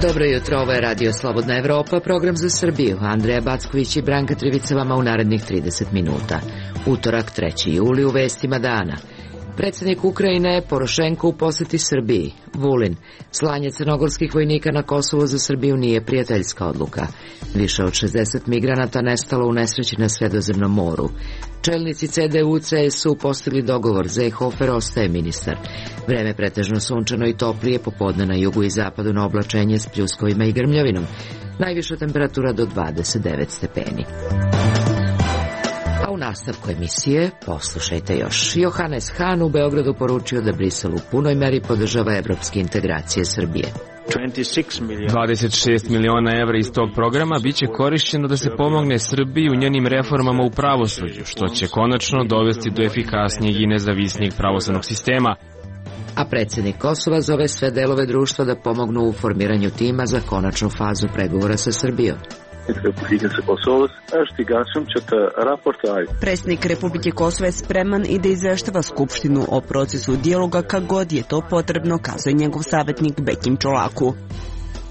Dobro jutro, ovo je Radio Slobodna Evropa, program za Srbiju. Andreja Backović i Branka Trivica vama u narednih 30 minuta. Utorak, 3. juli, u vestima dana. Predsjednik Ukrajine Porošenko u poseti Srbiji. Vulin. Slanje crnogorskih vojnika na Kosovo za Srbiju nije prijateljska odluka. Više od 60 migranata nestalo u nesreći na Sredozemnom moru. Čelnici CDU-CSU postigli dogovor, Seehofer ostaje ministar. Vreme pretežno sunčano i toplije, popodne na jugu i zapadu na oblačenje s pljuskovima i grmljavinom. Najviša temperatura do 29 stepeni. A u nastavku emisije poslušajte još. Johannes Hahn u Beogradu poručio da Brisel u punoj meri podržava evropske integracije Srbije. 26 miliona evra iz tog programa biće korišćeno da se pomogne Srbiji u njenim reformama u pravosuđu, što će konačno dovesti do efikasnijeg i nezavisnijeg pravosudnog sistema. A predsjednik Kosova zove sve delove društva da pomognu u formiranju tima za konačnu fazu pregovora sa Srbijom. Predsjednik Republike Kosova je spreman i da izveštava Skupštinu o procesu dijaloga kad god je to potrebno, kazuje njegov savjetnik Bekim Čolaku.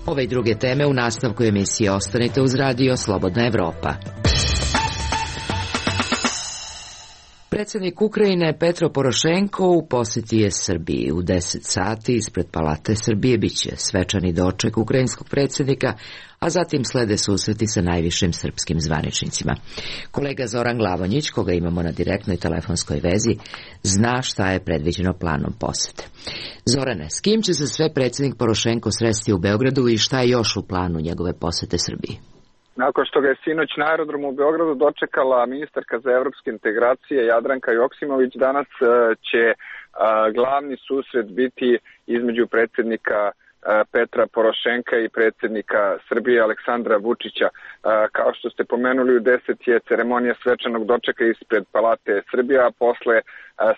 Ove i druge teme u nastavku emisije ostanite uz Radio Slobodna Evropa. Predsjednik Ukrajine Petro Porošenko u posjeti je Srbiji. U 10 sati ispred Palate Srbije biće svečani doček ukrajinskog predsjednika, a zatim slede susreti sa najvišim srpskim zvaničnicima. Kolega Zoran Glavonjić, koga imamo na direktnoj telefonskoj vezi, zna šta je predviđeno planom posjete. Zorane, s kim će se sve predsjednik Porošenko sresti u Beogradu i šta je još u planu njegove posjete Srbiji? Nakon što ga je sinoć na aerodromu u Beogradu dočekala ministarka za evropske integracije Jadranka Joksimović, danas će glavni susret biti između predsjednika Petra Porošenka i predsjednika Srbije Aleksandra Vučića. Kao što ste pomenuli, u 10 je ceremonija svečanog dočeka ispred Palate Srbije, a posle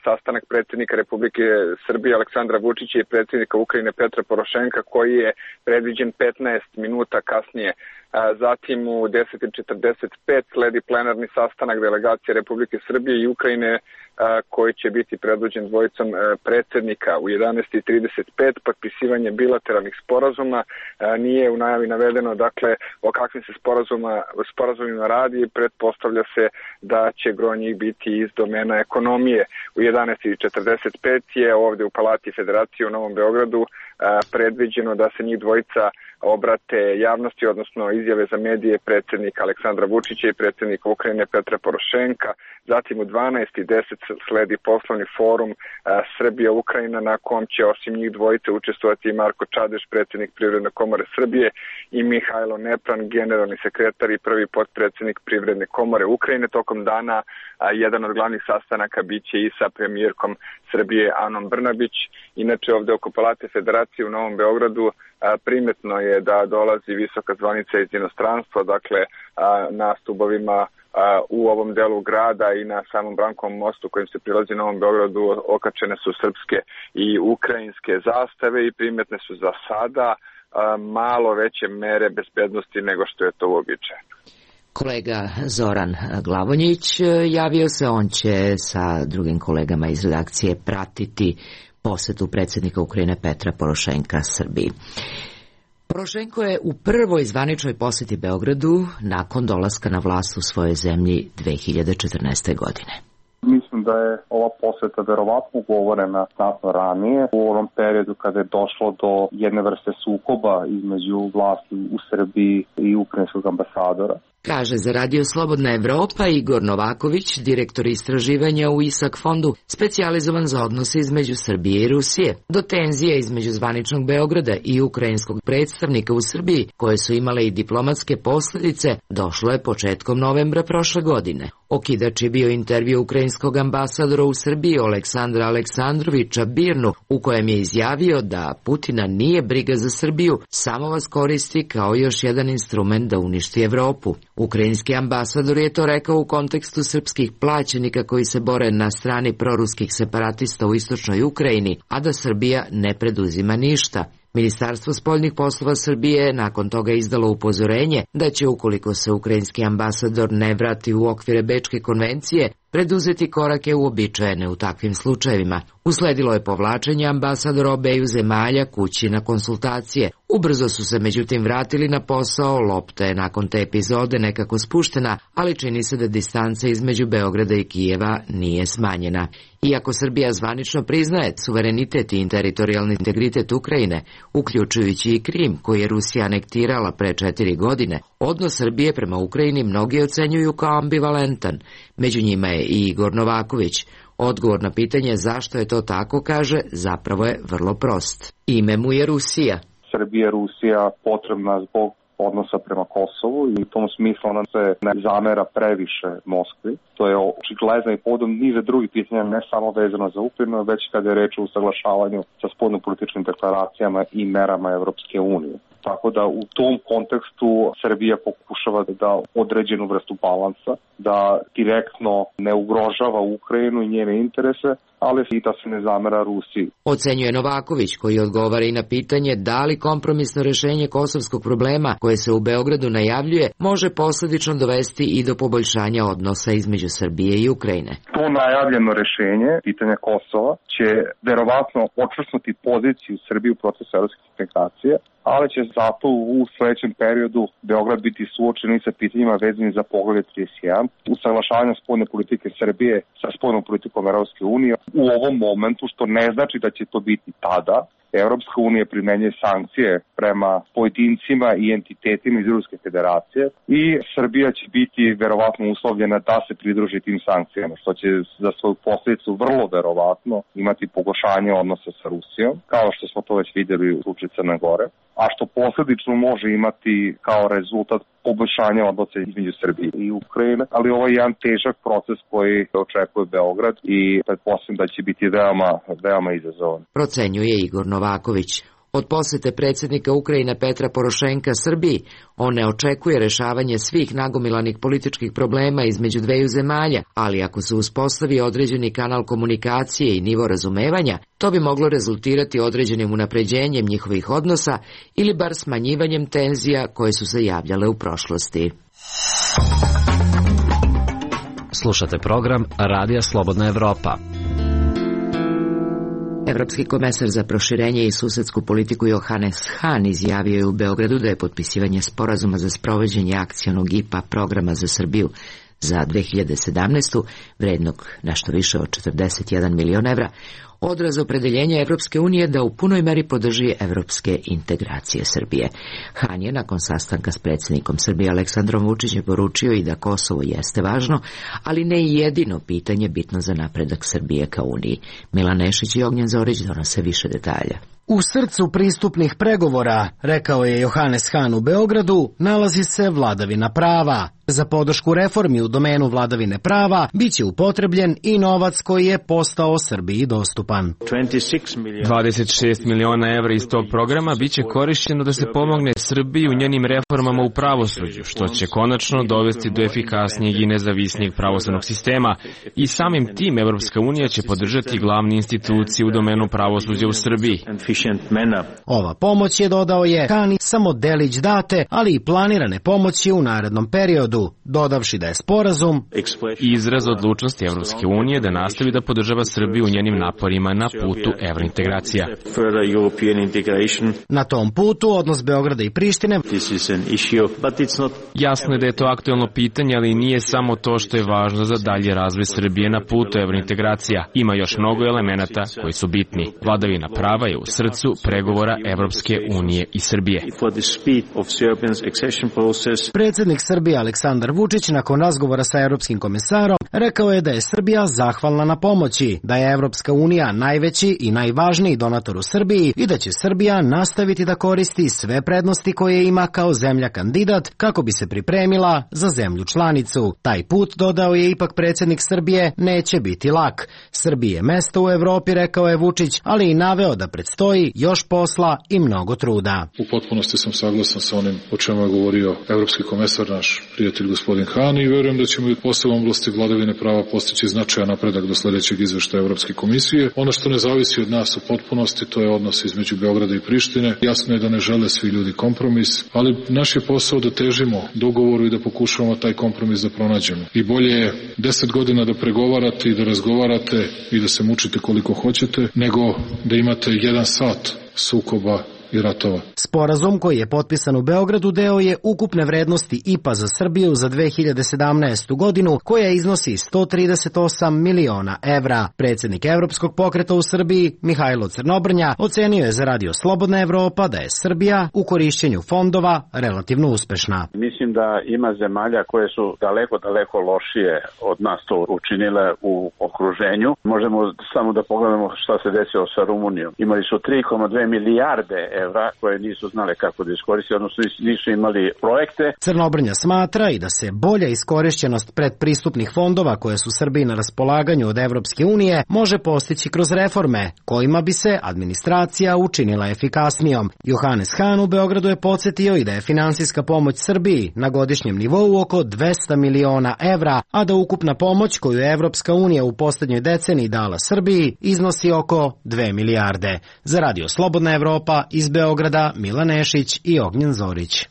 sastanak predsjednika Republike Srbije Aleksandra Vučića i predsjednika Ukrajine Petra Porošenka, koji je predviđen 15 minuta kasnije. Zatim u 10:45 sledi plenarni sastanak delegacije Republike Srbije i Ukrajine, koji će biti predvođen dvojicom predsjednika. U 11:35 potpisivanje bilateralnih sporazuma. Nije u najavi navedeno dakle o kakvim se sporazumima radi. Pretpostavlja se da će gro njih biti iz domena ekonomije. U 11:45 je ovdje u Palati Federacije u Novom Beogradu predviđeno da se njih dvojica obrate javnosti, odnosno izjave za medije predsjednika Aleksandra Vučića i predsjednika Ukrajine Petra Porošenka. Zatim u 12:10 sledi poslovni forum Srbija-Ukrajina, na kom će osim njih dvojice učestvovati i Marko Čadeš, predsjednik Privredne komore Srbije, i Mihajlo Nepran, generalni sekretar i prvi potpredsjednik Privredne komore Ukrajine. Tokom dana jedan od glavnih sastanaka biće i sa premijerkom Srbije Anom Brnabić. Inače, ovdje oko Palate Federacije u Novom Beogradu primetno je da dolazi visoka zvanica iz inostranstva, dakle na stubovima u ovom delu grada i na samom Brankovom mostu kojim se prilazi Novom Beogradu okačene su srpske i ukrajinske zastave i primetne su za sada malo veće mere bezbednosti nego što je to uobičajeno. Kolega Zoran Glavonjić javio se, on će sa drugim kolegama iz redakcije pratiti posjetu predsjednika Ukrajine Petra Porošenka Srbiji. Porošenko je u prvoj zvaničnoj posjeti Beogradu nakon dolaska na vlast u svojoj zemlji 2014. godine. Mislim da je ova posjeta verovatno ugovorena znatno ranije, u ovom periodu kada je došlo do jedne vrste sukoba između vlasti u Srbiji i ukrajinskog ambasadora. Kaže za Radio Slobodna Evropa Igor Novaković, direktor istraživanja u ISAK fondu, specijalizovan za odnose između Srbije i Rusije. Do tenzije između zvaničnog Beograda i ukrajinskog predstavnika u Srbiji, koje su imale i diplomatske posljedice, došlo je početkom novembra prošle godine. Okidač je bio intervju ukrajinskog ambasadora u Srbiji Aleksandra Aleksandrovića Birnu, u kojem je izjavio da Putina nije briga za Srbiju, samo vas koristi kao još jedan instrument da uništi Evropu. Ukrajinski ambasador je to rekao u kontekstu srpskih plaćenika koji se bore na strani proruskih separatista u istočnoj Ukrajini, a da Srbija ne preduzima ništa. Ministarstvo spoljnih poslova Srbije je nakon toga izdalo upozorenje da će, ukoliko se ukrajinski ambasador ne vrati u okvire Bečke konvencije, preduzeti korake uobičajene u takvim slučajevima. Usledilo je povlačenje ambasadora obeju zemalja kući na konsultacije. Ubrzo su se međutim vratili na posao, lopta je nakon te epizode nekako spuštena, ali čini se da distanca između Beograda i Kijeva nije smanjena. Iako Srbija zvanično priznaje suverenitet i teritorijalni integritet Ukrajine, uključujući i Krim, koji je Rusija anektirala pre 4 godine, odnos Srbije prema Ukrajini mnogi ocenjuju kao ambivalentan. Među njima je i Igor Novaković. Odgovor na pitanje zašto je to tako, kaže, zapravo je vrlo prost. Ime mu je Rusija. Srbija je Rusija potrebna zbog odnosa prema Kosovu i u tom smislu ona se ne zamera previše Moskvi. To je očigledno i povodom niza drugih pitanja, ne samo vezano za Ukrajinu, već kada je reč o usaglašavanju sa spoljnopolitičkim deklaracijama i merama Evropske unije. Tako da u tom kontekstu Srbija pokušava da da određenu vrstu balansa, da direktno ne ugrožava Ukrajinu i njene interese, ali i da se ne zamera Rusiji. Ocenjuje Novaković, koji odgovara i na pitanje da li kompromisno rešenje kosovskog problema koje se u Beogradu najavljuje može posledično dovesti i do poboljšanja odnosa između Srbije i Ukrajine. To najavljeno rešenje, pitanje Kosova, će verovatno očvrsnuti poziciju Srbije u procesu evropske integracije, ali će zato u sledećem periodu Beograd biti suočen sa pitanjima vezanim za poglavlje 31, usaglašavanja spoljne politike Srbije sa spoljnom politikom Evropske unije u ovom momentu, što ne znači da će to biti tada. Evropska unija primenjuje sankcije prema pojedincima i entitetima iz Ruske federacije i Srbija će biti verovatno uslovljena da se pridruži tim sankcijama, što će za svoju posljedicu vrlo verovatno imati pogoršanje odnosa sa Rusijom, kao što smo to već vidjeli u slučaju Crne Gore, a što posljedično može imati kao rezultat poboljšanja odnosa između Srbije i Ukrajine, ali ovo je jedan težak proces koji očekuje Beograd i pretpostavljam da će biti veoma izazovan. Procenjuje Igor Novaković. Od posete predsjednika Ukrajine Petra Porošenka Srbiji, on ne očekuje rešavanje svih nagomilanih političkih problema između dveju zemalja, ali ako se uspostavi određeni kanal komunikacije i nivo razumevanja, to bi moglo rezultirati određenim unapređenjem njihovih odnosa ili bar smanjivanjem tenzija koje su se javljale u prošlosti. Slušate program Radija Slobodna Evropa. Evropski komesar za proširenje i susedsku politiku Johannes Hahn izjavio je u Beogradu da je potpisivanje sporazuma za sprovođenje akcionog IPA programa za Srbiju za 2017. vrednog nešto više od 41 milion evra, odraz opredeljenja Evropske unije da u punoj meri podrži evropske integracije Srbije. Hahn je nakon sastanka s predsjednikom Srbije Aleksandrom Vučićem poručio i da Kosovo jeste važno, ali ne i jedino pitanje bitno za napredak Srbije ka Uniji. Milan Nešić i Ognjen Zorić donose više detalja. U srcu pristupnih pregovora, rekao je Johannes Hahn u Beogradu, nalazi se vladavina prava. Za podršku reformi u domenu vladavine prava biće upotrebljen i novac koji je postao Srbiji dostupan. 26 miliona evra iz tog programa biće korišćeno da se pomogne Srbiji u njenim reformama u pravosuđu, što će konačno dovesti do efikasnijeg i nezavisnijeg pravosudnog sistema i samim tim Evropska unija će podržati glavne institucije u domenu pravosuđa u Srbiji. Ova pomoć je, dodao je Hahn, samo delić date, ali i planirane pomoći u narednom periodu, dodavši da je sporazum izraz odlučnosti Evropske unije da nastavi da podržava Srbiju u njenim naporima na putu evrointegracija. Na tom putu odnos Beograda i Prištine jasno je da je to aktuelno pitanje, ali nije samo to što je važno za dalje razvoj Srbije na putu evrointegracija. Ima još mnogo elemenata koji su bitni. Vladavina prava je u srcu pregovora Evropske unije i Srbije. Predsjednik Srbije Aleksandar Vučić nakon razgovora sa Europskim komesarom rekao je da je Srbija zahvalna na pomoći, da je Evropska unija najveći i najvažniji donator u Srbiji i da će Srbija nastaviti da koristi sve prednosti koje ima kao zemlja kandidat kako bi se pripremila za zemlju članicu. Taj put, dodao je ipak predsjednik Srbije, neće biti lak. Srbije je mesto u Evropi, rekao je Vučić, ali i naveo da predstoji još posla i mnogo truda. U potpunosti sam saglasan sa onim o čemu je govorio evropski komesar, naš prijatelj izvestitelj gospodin Han i verujem da ćemo i posle oblasti vladavine prava postići značajan napredak do sledećeg izveštaja Evropske komisije. Ono što ne zavisi od nas u potpunosti, to je odnos između Beograda i Prištine. Jasno je da ne žele svi ljudi kompromis, ali naš je posao da težimo dogovoru i da pokušavamo taj kompromis da pronađemo. I bolje je 10 godina da pregovarate i da razgovarate i da se mučite koliko hoćete, nego da imate 1 sat sukoba i ratova. Sporazum koji je potpisan u Beogradu deo je ukupne vrednosti IPA za Srbiju za 2017. godinu, koja iznosi 138 miliona evra. Predsjednik Evropskog pokreta u Srbiji, Mihajlo Crnobrnja, ocenio je za Radio Slobodna Evropa da je Srbija u korišćenju fondova relativno uspešna. Mislim da ima zemalja koje su daleko lošije od nas to učinile u okruženju. Možemo samo da pogledamo šta se desilo sa Rumunijom. Imali su 3,2 milijarde evra koje nisu znale kako da iskoriste, odnosno nisu imali projekte. Crnobrnja smatra i da se bolja iskorišćenost predpristupnih fondova koje su Srbiji na raspolaganju od Evropske unije može postići kroz reforme, kojima bi se administracija učinila efikasnijom. Johannes Han u Beogradu je podsjetio i da je finansijska pomoć Srbiji na godišnjem nivou oko 200 miliona evra, a da ukupna pomoć koju je Evropska unija u poslednjoj deceniji dala Srbiji iznosi oko 2 milijarde. Za Radio Slobodna Evropa iz Beograda Milan Nešić i Ognjen Zorić.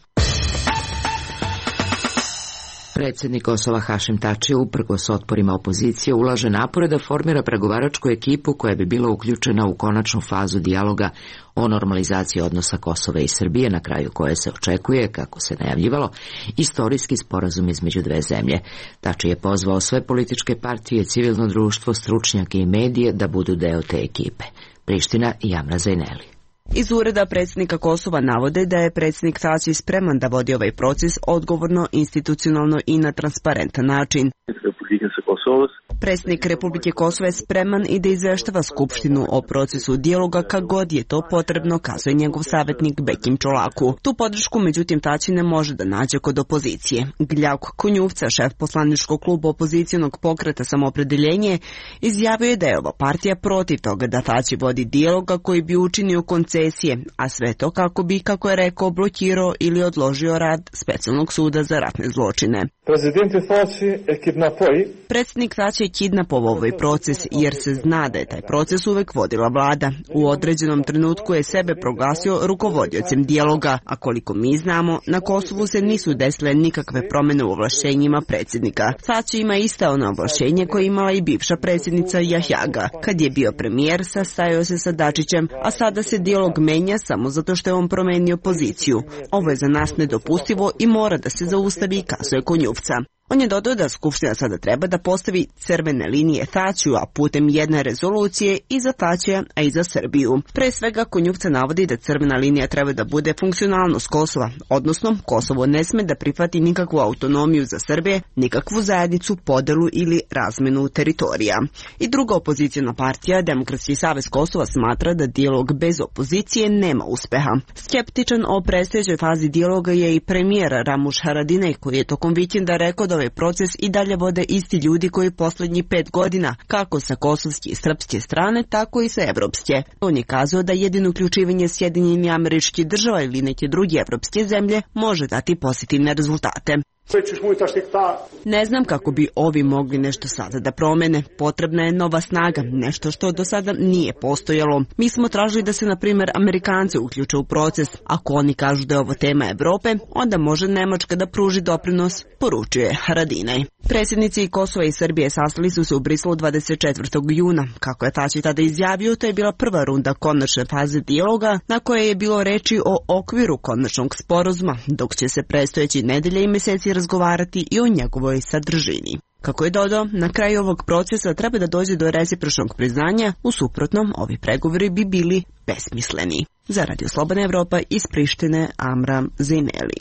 Predsjednik Kosova Hašim Tači uprkos otporima opozicije ulaže napore da formira pregovaračku ekipu koja bi bila uključena u konačnu fazu dijaloga o normalizaciji odnosa Kosova i Srbije, na kraju koje se očekuje, kako se najavljivalo, istorijski sporazum između dve zemlje. Tači je pozvao sve političke partije, civilno društvo, stručnjake i medije da budu deo te ekipe. Priština i Amra Zajneli. Iz ureda predsjednika Kosova navode da je predsjednik Tači spreman da vodi ovaj proces odgovorno, institucionalno i na transparentan način. Predsjednik Republike Kosova je spreman i da izveštava Skupštinu o procesu dijaloga kad god je to potrebno, kazuje njegov savjetnik Bekim Čolaku. Tu podršku, međutim, Tači ne može da nađe kod opozicije. Gljavko Konjuvca, šef poslaničkog kluba opozicionog pokreta Samoopredeljenje, izjavio je da je ova partija protiv toga da Tači vodi dijaloga koji bi učinio koncesije, a sve to kako bi, kako je rekao, blokirao ili odložio rad Specijalnog suda za ratne zločine. Predsjednik Tači je kidnapovao ovaj proces jer se zna da je taj proces uvek vodila vlada. U određenom trenutku je sebe proglasio rukovodiocem dijaloga, a koliko mi znamo, na Kosovu se nisu desile nikakve promjene u ovlašćenjima predsjednika. Tači ima ista ono ovlašćenje koje imala i bivša predsjednica Jahjaga. Kad je bio premijer, sastajao se sa Dačićem, a sada se dijalog menja samo zato što je on promenio poziciju. Ovo je za nas nedopustivo i mora da se zaustavi, kazuje Konjuvca. On je dodao da Skupština sada treba da postavi crvene linije Tačiju, a putem jedne rezolucije i za Tačija, a i za Srbiju. Pre svega, Konjuvca navodi da crvena linija treba da bude funkcionalnost Kosova, odnosno Kosovo ne sme da prihvati nikakvu autonomiju za Srbije, nikakvu zajednicu, podelu ili razmenu teritorija. I druga opozicijna partija, Demokratski savez Kosova, smatra da dijalog bez opozicije nema uspeha. Skeptičan o predstojećoj fazi dijaloga je i premijer Ramuš Haradinaj, koji je tokom vikenda rekao da ovaj proces i dalje vode isti ljudi koji poslednjih 5 godina, kako sa kosovske i srpske strane, tako i sa evropske. On je kazao da jedino uključivanje Sjedinjenih Američkih Država ili neke druge evropske zemlje može dati pozitivne rezultate. Ne znam kako bi ovi mogli nešto sada da promene. Potrebna je nova snaga, nešto što do sada nije postojalo. Mi smo tražili da se, na primjer, Amerikanci uključe u proces. Ako oni kažu da je ovo tema Evrope, onda može Nemačka da pruži doprinos, poručuje Haradinaj. Predsjednici Kosova i Srbije sastali su se u Briselu 24. juna. Kako je Tači tada izjavio, to je bila prva runda konačne faze dijaloga, na koje je bilo reči o okviru konačnog sporazuma, dok će se predstojeći nedelje i meseci razgovarati i o njegovoj sadržini. Kako je dodao, na kraju ovog procesa treba da dođe do recipročnog priznanja, u suprotnom ovi pregovori bi bili besmisleni. Za Radio Slobodna Evropa iz Prištine, Amra Zajneli.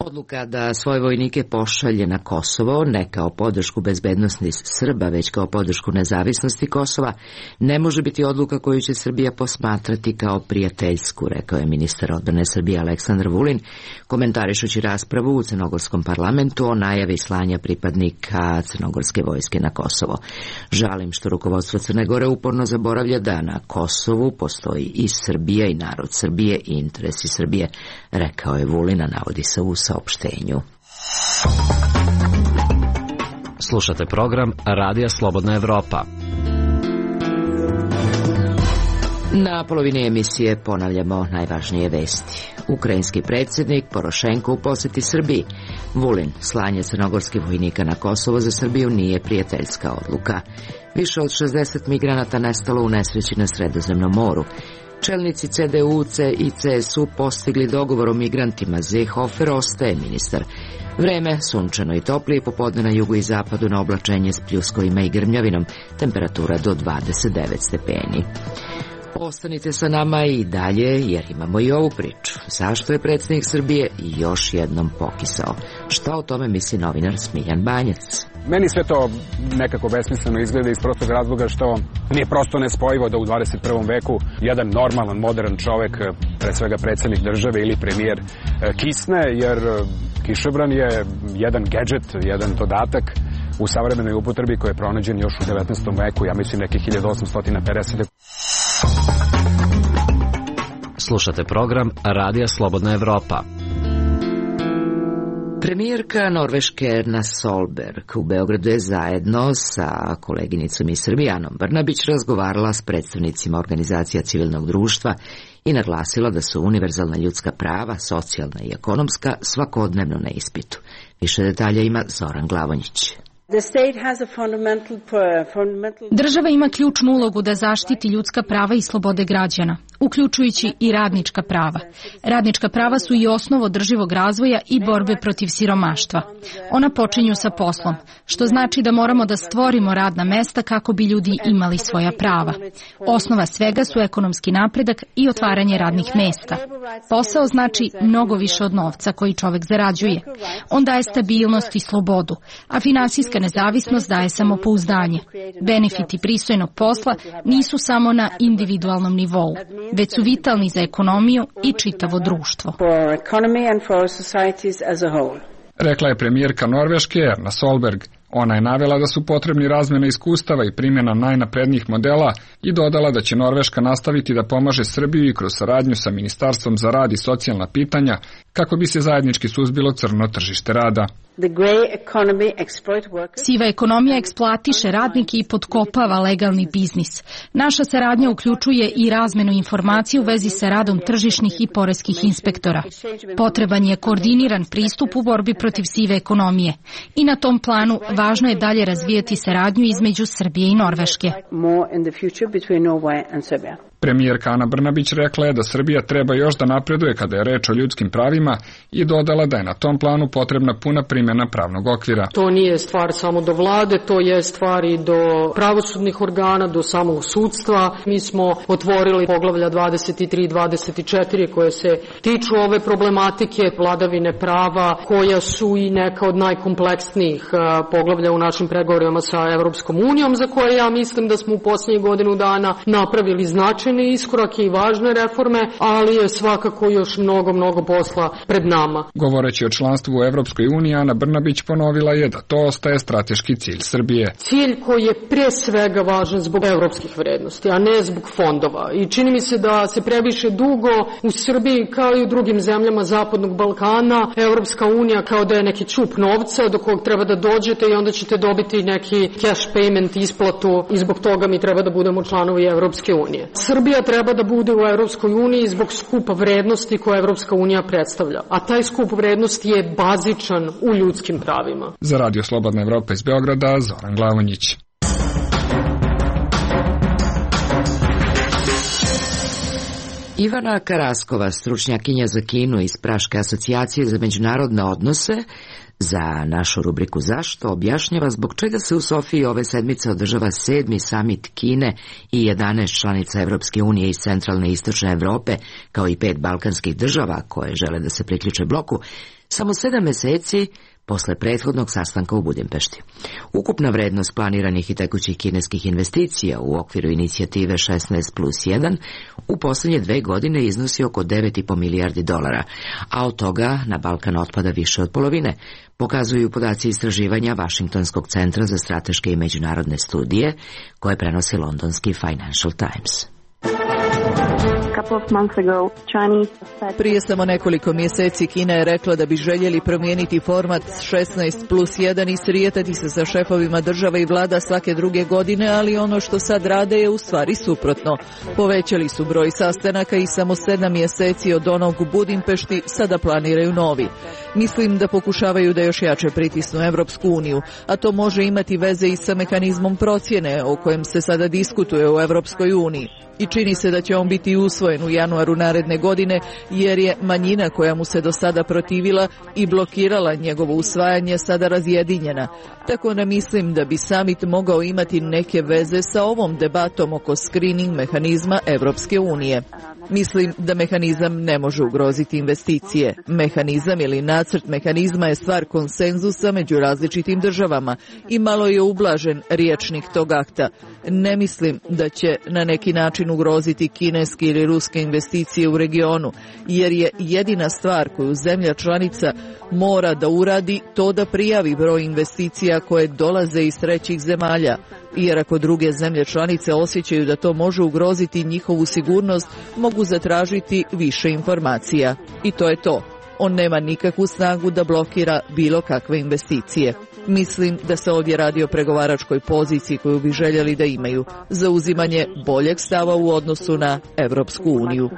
Odluka da svoje vojnike pošalje na Kosovo, ne kao podršku bezbednosti Srba, već kao podršku nezavisnosti Kosova, ne može biti odluka koju će Srbija posmatrati kao prijateljsku, rekao je ministar odbrane Srbije Aleksandar Vulin, komentarišući raspravu u crnogorskom parlamentu o najavi slanja pripadnika crnogorske vojske na Kosovo. Žalim što rukovodstvo Crne Gore uporno zaboravlja da na Kosovu postoji i Srbija i narod Srbije i interesi Srbije, rekao je Vulin, navodi se u saopštenju. Slušate program Radija Slobodna Evropa. Na polovini emisije ponavljamo najvažnije vesti. Ukrajinski predsjednik Porošenko u posjeti Srbiji. Vulin, slanje crnogorskih vojnika na Kosovo za Srbiju nije prijateljska odluka. Više od 60 migranata nestalo u nesreći na Sredozemnom moru. Čelnici CDU i CSU postigli dogovor o migrantima. Seehofer ostaje ministar. Vreme sunčano i toplije, popodne na jugu i zapadu na oblačenje s pljuskovima i grmljavinom, temperatura do 29 stepeni. Ostanite sa nama i dalje jer imamo i ovu priču. Zašto je predsjednik Srbije još jednom pokisao? Šta o tome misli novinar Smiljan Banjac? Meni sve to nekako besmisleno izgleda iz prostog razloga što nije prosto nespojivo da u 21. veku jedan normalan, modern čovek, pre svega predsjednik države ili premijer, kisne, jer kišobran je jedan gadget, jedan dodatak u savremenoj upotrebi koji je pronađen još u 19. veku, ja mislim nekih 1850. Slušate program Radija Slobodna Evropa. Premijerka Norveške Erna Solberg u Beogradu je zajedno sa koleginicom iz Srbije Anom Brnabić razgovarala s predstavnicima organizacija civilnog društva i naglasila da su univerzalna ljudska prava, socijalna i ekonomska, svakodnevno na ispitu. Više detalja ima Zoran Glavonjić. Država ima ključnu ulogu da zaštiti ljudska prava i slobode građana, uključujući i radnička prava. Radnička prava su i osnov održivog razvoja i borbe protiv siromaštva. Ona počinju sa poslom, što znači da moramo da stvorimo radna mesta kako bi ljudi imali svoja prava. Osnova svega su ekonomski napredak i otvaranje radnih mesta. Posao znači mnogo više od novca koji čovek zarađuje. On daje stabilnost i slobodu, a finansijska nezavisnost daje samopouzdanje. Benefiti pristojnog posla nisu samo na individualnom nivou, već su vitalni za ekonomiju i čitavo društvo. Rekla je premijerka Norveške Erna Solberg. Ona je navela da su potrebni razmjena iskustava i primjena najnaprednijih modela i dodala da će Norveška nastaviti da pomaže Srbiju i kroz saradnju sa Ministarstvom za rad i socijalna pitanja kako bi se zajednički suzbilo crno tržište rada. Siva ekonomija eksploatiše radnike i potkopava legalni biznis. Naša saradnja uključuje i razmenu informacija u vezi sa radom tržišnih i poreskih inspektora. Potreban je koordiniran pristup u borbi protiv sive ekonomije i na tom planu važno je dalje razvijati saradnju između Srbije i Norveške. Premijerka Ana Brnabić rekla je da Srbija treba još da napreduje kada je reč o ljudskim pravima i dodala da je na tom planu potrebna puna primjena pravnog okvira. To nije stvar samo do vlade, to je stvar i do pravosudnih organa, do samog sudstva. Mi smo otvorili poglavlja 23 i 24 koje se tiču ove problematike vladavine prava, koja su i neka od najkompleksnijih poglavlja u našim pregovorima sa Evropskom unijom, za koje ja mislim da smo u posljednjih godinu dana napravili značajne iskorake i važne reforme, ali je svakako još mnogo posla pred nama. Govoreći o članstvu u Evropskoj uniji, Ana Brnabić ponovila je da to ostaje strateški cilj Srbije. Cilj koji je pre svega važan zbog evropskih vrednosti, a ne zbog fondova. I čini mi se da se previše dugo u Srbiji, kao i u drugim zemljama Zapadnog Balkana, Evropska unija kao da je neki ćup novca do kog treba da dođete i onda ćete dobiti neki cash payment, isplatu, i zbog toga mi treba da budemo članovi Evropske unije. Srbija treba da bude u Evropskoj uniji zbog skupa vrednosti koje Evropska unija predstavlja, a taj skup vrednosti je bazičan u ljudskim pravima. Za Radio Slobodna Evropa iz Beograda, Zoran Glavonjić. Ivana Karaskova, stručnjakinja za Kinu iz Praške asocijacije za međunarodne odnose, za našu rubriku Zašto objašnjava zbog čega se u Sofiji ove sedmice održava 7. samit Kine i 11 članica Evropske unije iz centralne i istočne Evrope, kao i 5 balkanskih država koje žele da se priključe bloku, samo 7 meseci posle prethodnog sastanka u Budimpešti. Ukupna vrednost planiranih i tekućih kineskih investicija u okviru inicijative 16+1 u posljednje 2 godine iznosi oko 9,5 milijardi dolara, a od toga na Balkan otpada više od polovine, pokazuju podaci istraživanja Vašingtonskog centra za strateške i međunarodne studije koje prenosi londonski Financial Times. Prije samo nekoliko mjeseci Kina je rekla da bi željeli promijeniti format 16+1 i srijetati se sa šefovima država i vlada svake druge godine, ali ono što sad rade je u stvari suprotno. Povećali su broj sastanaka i samo 7 mjeseci od onog u Budimpešti sada planiraju novi. Mislim da pokušavaju da još jače pritisnu Evropsku uniju, a to može imati veze i sa mehanizmom procjene o kojem se sada diskutuje u Evropskoj uniji. I čini se da će on biti usvojen u januaru naredne godine, jer je manjina koja mu se do sada protivila i blokirala njegovo usvajanje sada razjedinjena. Tako da mislim da bi summit mogao imati neke veze sa ovom debatom oko screening mehanizma Evropske unije. Mislim da mehanizam ne može ugroziti investicije. Mehanizam ili nacrt mehanizma je stvar konsenzusa među različitim državama i malo je ublažen rječnik tog akta. Ne mislim da će na neki način ugroziti kineske ili ruske investicije u regionu, jer je jedina stvar koju zemlja članica mora da uradi to da prijavi broj investicija koje dolaze iz trećih zemalja, jer ako druge zemlje članice osjećaju da to može ugroziti njihovu sigurnost, mogu zatražiti više informacija. I to je to. On nema nikakvu snagu da blokira bilo kakve investicije. Mislim da se ovdje radi o pregovaračkoj poziciji koju bi željeli da imaju, za uzimanje boljeg stava u odnosu na Evropsku uniju.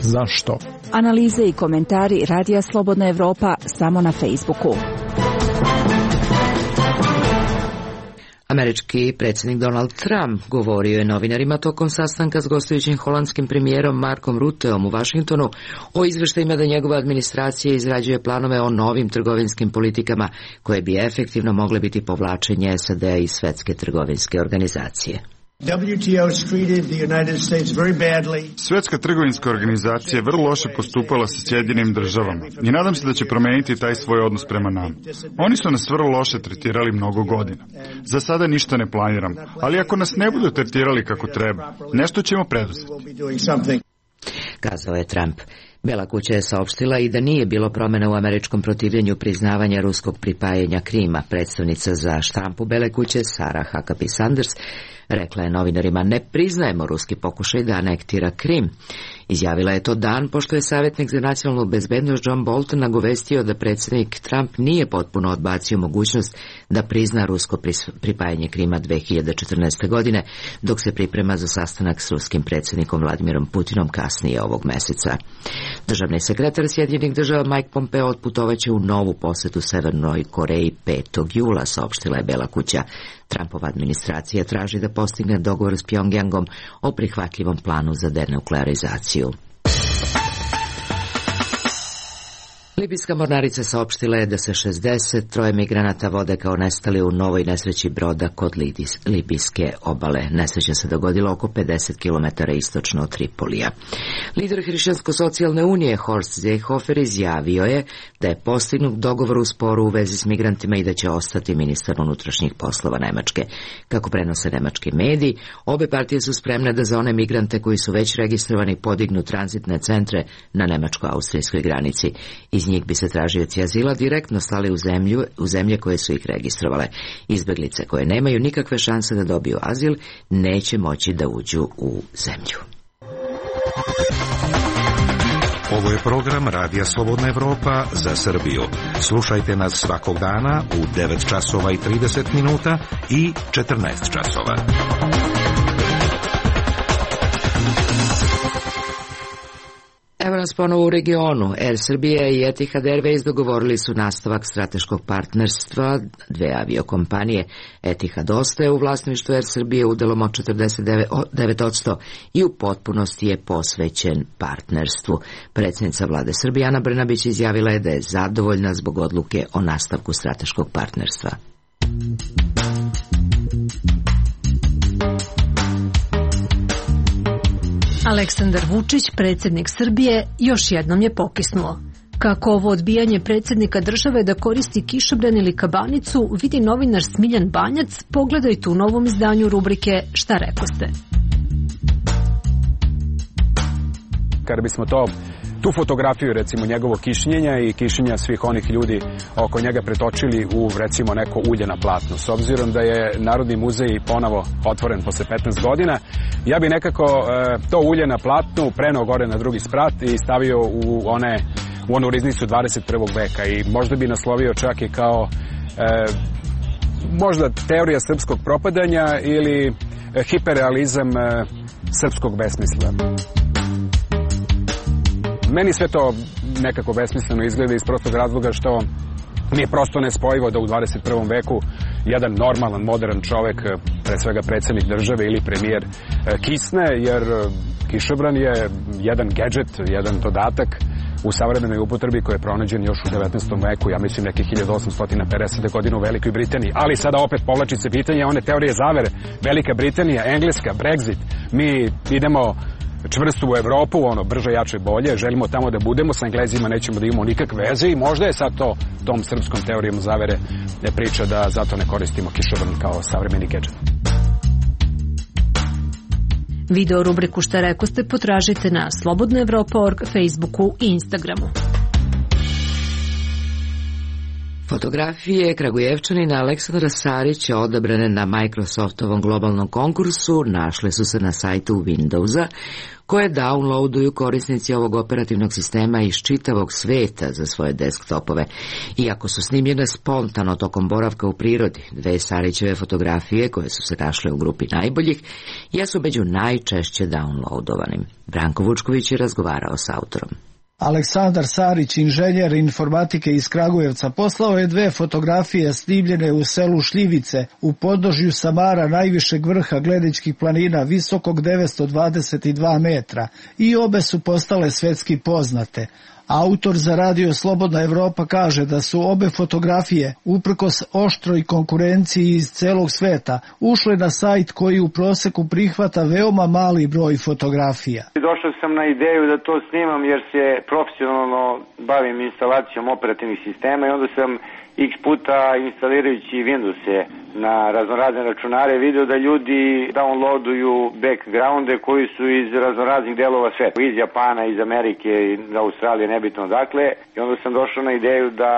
Zašto? Analize i komentari Radija Slobodna Evropa samo na Facebooku. Američki predsjednik Donald Trump govorio je novinarima tokom sastanka s gostujućim holandskim premijerom Markom Rutteom u Vašingtonu o izveštajima da njegova administracija izrađuje planove o novim trgovinskim politikama koje bi efektivno mogle biti povlačenje SAD-a iz Svetske trgovinske organizacije. Svetska trgovinska organizacija je vrlo loše postupala sa Sjedinjenim državama i nadam se da će promijeniti taj svoj odnos prema nama. Oni su nas vrlo loše tretirali mnogo godina. Za sada ništa ne planiram, ali ako nas ne budu tretirali kako treba, nešto ćemo preduzeti. Kazao je Trump. Bela kuća je saopštila i da nije bilo promjena u američkom protivljenju priznavanja ruskog pripajanja Krima. Predstavnica za štampu Bele kuće Sarah Huckabee Sanders rekla je novinarima: ne priznajemo ruski pokušaj da anektira Krim. Izjavila je to dan pošto je savjetnik za nacionalnu bezbednost John Bolton nagovestio da predsjednik Trump nije potpuno odbacio mogućnost da prizna rusko pripajanje Krima 2014. godine, dok se priprema za sastanak s ruskim predsjednikom Vladimirom Putinom kasnije ovog meseca. Državni sekretar Sjedinjenih država Mike Pompeo otputovaće u novu posjetu Severnoj Koreji 5. jula, saopštila je Bela kuća. Trumpova administracija traži da postigne dogovor s Pjongjangom o prihvatljivom planu za denuklearizaciju. Libijska mornarica saopštila je da se 63 migranata vode kao nestali u novoj nesreći broda kod libijske obale. Nesreća se dogodila oko 50 km istočno od Tripolija. Lider Hrišćansko-socijalne unije Horst Seehofer izjavio je da je postignut dogovor u sporu u vezi s migrantima i da će ostati ministar unutrašnjih poslova Nemačke. Kako prenose nemački mediji, obe partije su spremne da za one migrante koji su već registrovani podignu tranzitne centre na nemačko-austrijskoj granici. Iz njih bi se tražioci azila direktno slali u zemlje koje su ih registrovale. Izbjeglice koje nemaju nikakve šanse da dobiju azil neće moći da uđu u zemlju. Ovo je program Radija Slobodna Evropa za Srbiju. Slušajte nas svakog dana u 9 časova i 30 minuta i 14 časova. Evo nas ponovo u regionu. Air Srbija i Etihad Airways dogovorili su nastavak strateškog partnerstva dve aviokompanije. Etihad ostaje u vlasništvu Air Srbije udelom od 49% i u potpunosti je posvećen partnerstvu. Predsjednica vlade Srbije Ana Brnabić izjavila je da je zadovoljna zbog odluke o nastavku strateškog partnerstva. Aleksandar Vučić, predsjednik Srbije, još jednom je pokisnuo. Kako ovo odbijanje predsjednika države da koristi kišobran ili kabanicu vidi novinar Smiljan Banjac, pogledajte u novom izdanju rubrike Šta rekoste. kada bismo tu fotografiju, recimo njegovog kišnjenja i kišnjenja svih onih ljudi oko njega pretočili u, recimo, neko ulje na platnu. S obzirom da je Narodni muzej ponovo otvoren posle 15 godina, ja bi nekako to ulje na platnu preneo gore na drugi sprat i stavio u onu riznicu 21. veka i možda bi naslovio čak i kao možda teorija srpskog propadanja ili hiperrealizam srpskog besmisla. Meni sve to nekako besmisleno izgleda iz prostog razloga što mi je prosto nespojivo da u 21. veku jedan normalan, modern čovek, pre svega predsjednik države ili premijer, kisne, jer kišobran je jedan gadget, jedan dodatak u savremenoj upotrebi koji je pronađen još u 19. veku, ja mislim nekih 1850. godina u Velikoj Britaniji. Ali sada opet povlači se pitanje one teorije zavere. Velika Britanija, Engleska, Brexit, mi idemo čvrstu u Evropu, brže, jače, bolje, želimo tamo da budemo, sa Englezima nećemo da imamo nikakve veze i možda je sad to tom srpskom teorijom zavere priča da zato ne koristimo kišobran kao savremeni gadget. Video rubriku Šta rekoste potražite na slobodnaevropa.org, Facebooku i Instagramu. Fotografije Kragujevčanina Aleksandra Sarića odabrane na Microsoftovom globalnom konkursu našle su se na sajtu Windowsa, koje downloaduju korisnici ovog operativnog sistema iz čitavog sveta za svoje desktopove. Iako su snimljene spontano tokom boravka u prirodi, dve Sarićeve fotografije, koje su se našle u grupi najboljih, jesu među najčešće downloadovanim. Branko Vučković je razgovarao s autorom. Aleksandar Sarić, inženjer informatike iz Kragujevca, poslao je dve fotografije snimljene u selu Šljivice, u podnožju Samara, najvišeg vrha Gledičkih planina, visokog 922 metra, i obe su postale svetski poznate. Autor za radio Slobodna Evropa kaže da su obe fotografije, uprkos oštroj konkurenciji iz celog sveta, ušle na sajt koji u proseku prihvata veoma mali broj fotografija. Došao sam na ideju da to snimam jer se profesionalno bavim instalacijom operativnih sistema i onda sam x puta instalirajući Windowse na raznorazne računare video da ljudi downloaduju backgrounde koji su iz raznoraznih delova sveta, iz Japana, iz Amerike, iz Australije, nebitno dakle, i onda sam došao na ideju da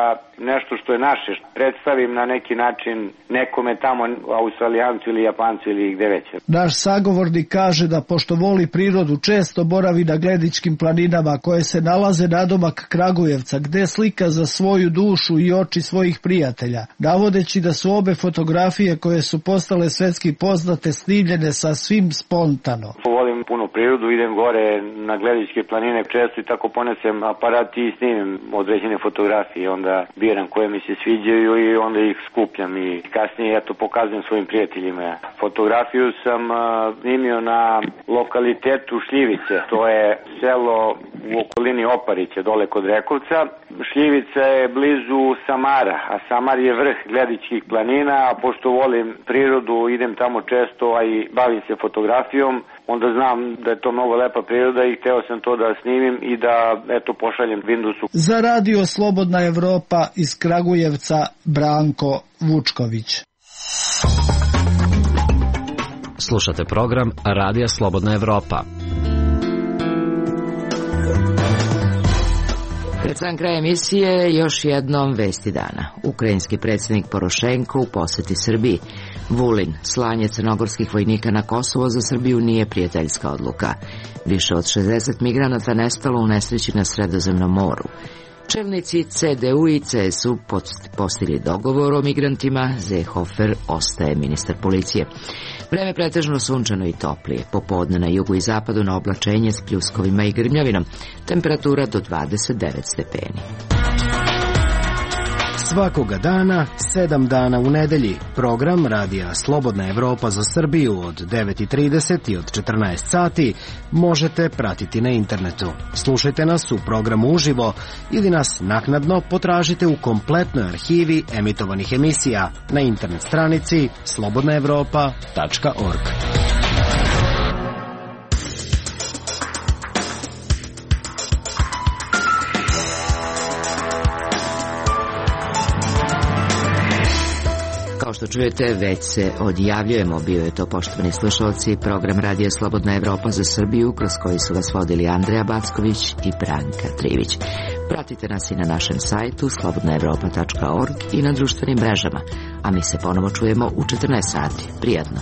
nešto što je naše predstavim na neki način nekome tamo, Australijancu ili Japancu ili gde već. Naš sagovornik kaže da pošto voli prirodu često boravi na Gledičkim planinama koje se nalaze nadomak Kragujevca, gde slika za svoju dušu i oči svojih prijatelja, navodeći da su obe fotografije koje su postale svetski poznate snimljene sasvim spontano. Volim puno prirodu, idem gore na Gledičke planine često i tako ponesem aparat i snimim određene fotografije, onda biram koje mi se sviđaju i onda ih skupljam i kasnije pokazujem svojim prijateljima. Fotografiju sam snimio na lokalitetu Šljivice, to je selo u okolini Oparića, dole kod Rekovca. Šljivica je blizu Samara, a Samar je vrh Gledičkih planina, a pošto volim prirodu, idem tamo često, a i bavim se fotografijom, onda znam da je to mnogo lepa priroda i hteo sam to da snimim i da pošaljem Windowsu. Za radio Slobodna Evropa iz Kragujevca, Branko Vučković. Slušate program Radija Slobodna Evropa. Pred sam kraj emisije još jednom vesti dana. Ukrajinski predsjednik Porošenko u poseti Srbiji. Vulin, slanje crnogorskih vojnika na Kosovo za Srbiju nije prijateljska odluka. Više od 60 migranata nestalo u nesreći na Sredozemnom moru. Čelnici CDU i CSU postigli dogovor o migrantima, Seehofer ostaje ministar policije. Vreme pretežno sunčano i toplije, popodne na jugu i zapadu na oblačenje s pljuskovima i grmljavinom, temperatura do 29 stepeni. Svakoga dana, 7 dana u nedelji, program Radija Slobodna Evropa za Srbiju od 9:30 i od 14 sati možete pratiti na internetu. Slušajte nas u programu uživo ili nas naknadno potražite u kompletnoj arhivi emitovanih emisija na internet stranici slobodnaevropa.org. što čujete, već se odjavljujemo. Bio je to, poštovani slušalci, program Radija Slobodna Evropa za Srbiju, kroz koji su vas vodili Andreja Backović i Branka Trivić. Pratite nas i na našem sajtu slobodnaevropa.org i na društvenim mrežama. A mi se ponovo čujemo u 14 sati. Prijatno.